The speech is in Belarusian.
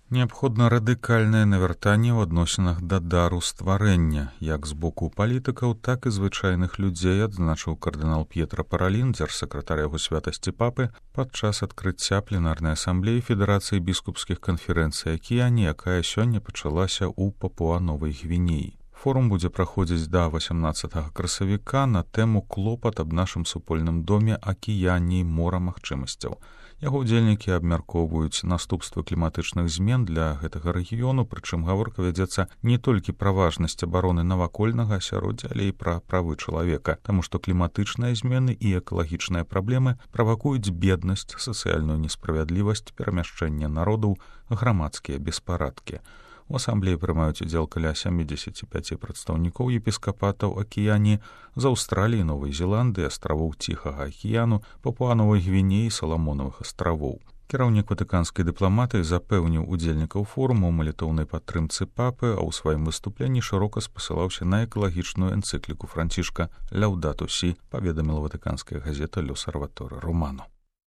Неабходна радыкальнае навяртанне ў адносінах да дару стварэння, як з боку палітыкаў, так і звычайных людзей, адзначыў кардынал П'етра Паралін, дзяржсакратар яго святасці папы, падчас адкрыцця пленарнай асамблеі Федэрацыі біскупскіх канферэнцый Акіяні, якая сёння пачалася ў Папуа-Новай Гвінеі. Форум будзе праходзіць да 18 красавіка на тэму «Клопат аб нашым супольным доме Акіяні, мора магчымасцяў». Яго ўдзельнікі абмяркоўваюць наступствы кліматычных змен для гэтага рэгіёну, прычым гаворка вядзецца не толькі пра важнасць абароны навакольнага асяроддзя, але і пра правы чалавека, таму што кліматычныя змены і экалагічныя праблемы правакуюць беднасць, сацыяльную несправядлівасць, перамяшчэнне народаў, грамадскія беспарадкі. У асамблеі прымаюць удзел каля 75 прадстаўнікоў епіскапатаў Акіяні з Аўстраліі, Новай Зеландыі, астравоў Ціхага акіяну, Папуа-Новай Гвінеі, Саламонавых астравоў. Кіраўнік ватыканскай дыпламатыі запэўніў удзельнікаў форуму ў малітоўнай падтрымцы папы, а ў сваім выступленні шырока спасылаўся на экалагічную энцыкліку Францішка «Ляўдату сі», паведаміла ватыканская газета «L'Osservatore Romano».